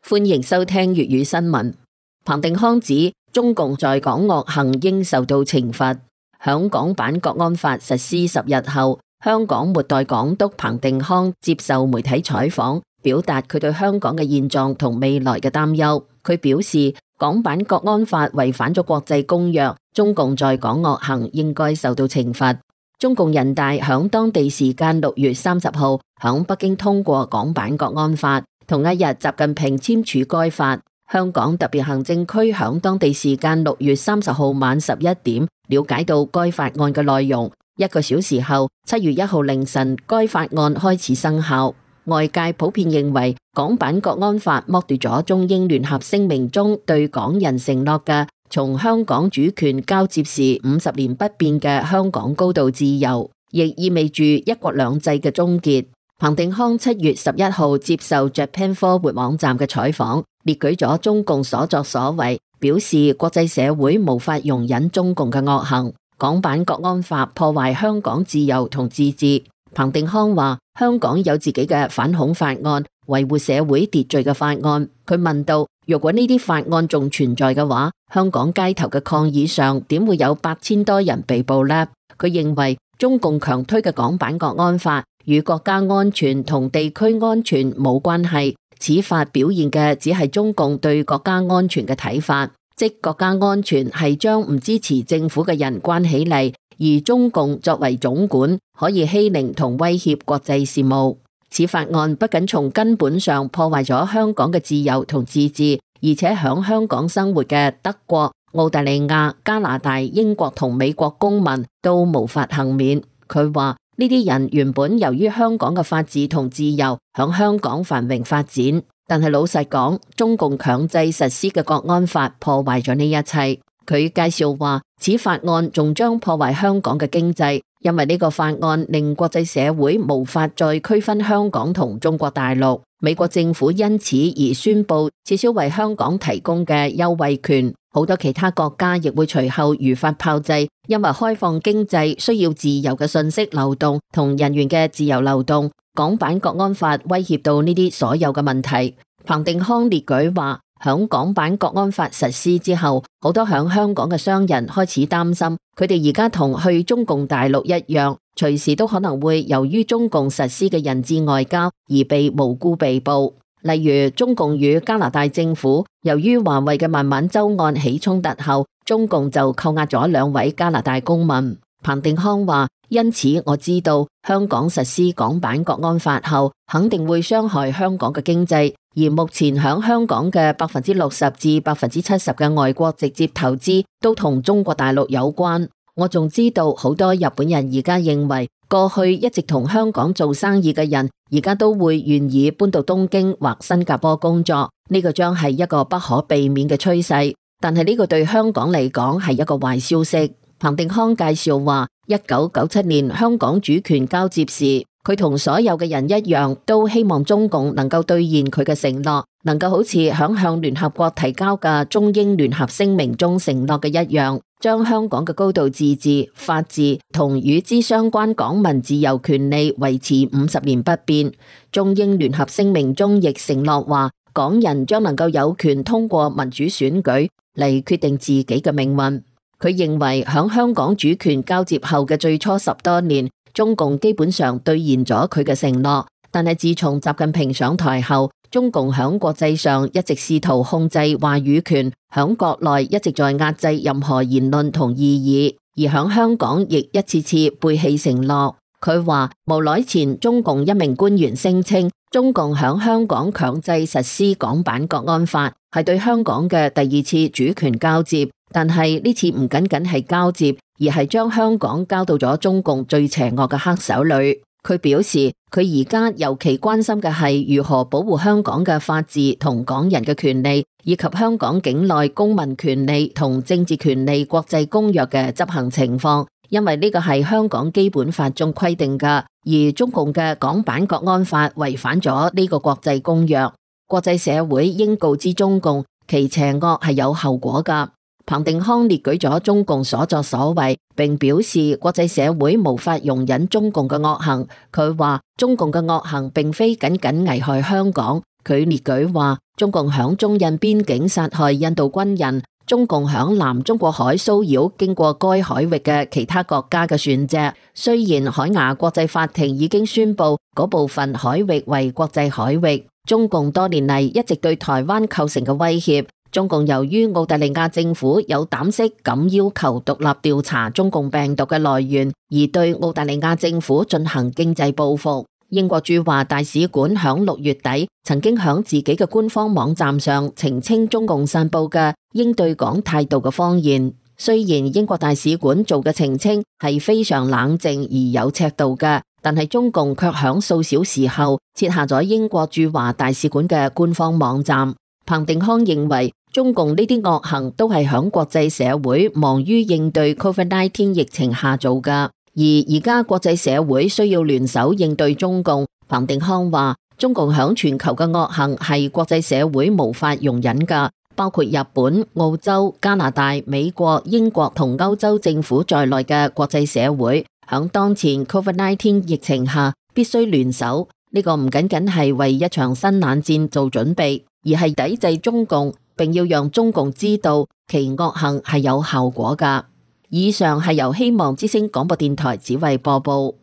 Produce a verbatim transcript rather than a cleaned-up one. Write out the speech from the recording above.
歡迎收聽粵語新聞。彭定康指中共在港惡行應受到懲罰。響港版國安法實施十日後，香港末代港督彭定康接受媒體採訪，表達佢對香港嘅現狀同未來嘅擔憂。佢表示，港版國安法違反咗國際公約，中共在港惡行應該受到懲罰。中共人大響當地時間六月三十號響北京通過港版國安法。同一日，習近平簽署該法。香港特別行政區響當地時間六月三十號晚十一點了解到該法案嘅內容。一個小時後，七月一號凌晨，該法案開始生效。外界普遍認為，港版國安法剝奪咗中英聯合聲明中對港人承諾嘅從香港主權交接時五十年不變嘅香港高度自由，亦意味住一國兩制嘅終結。彭定康七月十一號接受 Japan Forward 網站嘅採訪，列舉咗中共所作所為，表示國際社會無法容忍中共嘅惡行。港版國安法破壞香港自由同自治。彭定康話：香港有自己嘅反恐法案，維護社會秩序嘅法案。佢問到：如果呢啲法案仲存在嘅話，香港街頭嘅抗議上點會有八千多人被捕呢？佢認為中共強推嘅港版國安法與國家安全同地區安全冇關係，此法表現嘅只係中共對國家安全嘅睇法，即國家安全係將唔支持政府嘅人關起嚟，而中共作為總管可以欺凌同威脅國際事務。此法案不僅從根本上破壞咗香港嘅自由同自治，而且響香港生活嘅德國、澳大利亞、加拿大、英國同美國公民都無法幸免。佢話：呢啲人原本由於香港嘅法治同自由響香港繁榮發展，但係老實講，中共強制實施嘅國安法破壞咗呢一切。佢介紹話，此法案仲將破壞香港嘅經濟，因為呢個法案令國際社會無法再區分香港同中國大陸。美國政府因此而宣布撤銷為香港提供嘅優惠權，好多其他國家亦會隨後如法炮製，因為開放經濟需要自由嘅信息流動同人員嘅自由流動。港版國安法威脅到呢啲所有嘅問題。彭定康列舉話，響港版國安法實施之後，好多響香港嘅商人開始擔心，佢哋而家同去中共大陸一樣，隨時都可能會由於中共實施嘅人質外交而被無辜被捕。例如中共與加拿大政府由於華為嘅孟晚舟案起衝突後，中共就扣押咗兩位加拿大公民。彭定康話：因此我知道香港實施港版國安法後，肯定會傷害香港嘅經濟，而目前響香港嘅百分之六十至百分之七十嘅外國直接投資都同中國大陸有關。我仲知道好多日本人而家認為，過去一直同香港做生意嘅人，而家都會願意搬到東京或新加坡工作，呢個將係一個不可避免嘅趨勢。但係呢個對香港嚟講係一個壞消息。彭定康介紹話，一九九七年香港主權交接時，佢同所有嘅人一樣，都希望中共能夠兌現佢嘅承諾，能夠好似響向聯合國提交嘅中英聯合聲明中承諾嘅一樣，將香港嘅高度自治、法治同與之相關港民自由權利維持五十年不變。中英聯合聲明中亦承諾話，港人將能夠有權通過民主選舉嚟決定自己嘅命運。佢認為響香港主權交接後嘅最初十多年，中共基本上兌現咗佢嘅承諾，但係自從習近平上台後，中共響國際上一直試圖控制話語權，響國內一直在壓制任何言論同異議，而響香港亦一次次背棄承諾。佢話無耐前中共一名官員聲稱，中共響香港強制實施港版國安法，係對香港嘅第二次主權交接。但係呢次唔僅僅係交接，而係將香港交到咗中共最邪惡嘅黑手裏。佢表示，佢而家尤其關心嘅係如何保護香港嘅法治同港人嘅權利，以及香港境內公民權利同政治權利國際公約嘅執行情況，因為呢個係香港基本法中規定嘅，而中共嘅港版國安法違反咗呢個國際公約。國際社會應告知中共，其邪惡係有後果㗎。彭定康列舉咗中共所作所為，並表示國際社會無法容忍中共嘅惡行。佢話中共嘅惡行並非僅僅危害香港。佢列舉話，中共響中印邊境殺害印度軍人，中共響南中國海騷擾經過該海域嘅其他國家嘅船隻。雖然海牙國際法庭已經宣布嗰部分海域為國際海域，中共多年嚟一直對台灣構成嘅威脅。中共由於澳大利亞政府有膽識咁要求獨立調查中共病毒嘅來源，而對澳大利亞政府進行經濟報復。英國駐華大使館響六月底曾經響自己嘅官方網站上澄清中共散布嘅應對港態度嘅謊言。雖然英國大使館做嘅澄清係非常冷靜而有尺度嘅，但係中共卻響數小時後撤下咗英國駐華大使館嘅官方網站。彭定康認為，中共呢啲惡行都係響國際社會忙於應對 Covid 十九 疫情下做㗎，而而家國際社會需要聯手應對中共。彭定康話，中共響全球嘅惡行係國際社會無法容忍㗎，包括日本、澳洲、加拿大、美國、英國同歐洲政府在內嘅國際社會，響當前 Covid 十九 疫情下必須聯手。呢個唔僅僅係為一場新冷戰做準備，而係抵制中共，並要讓中共知道其惡行係有效果㗎。以上係由希望之聲廣播電台子慧播報。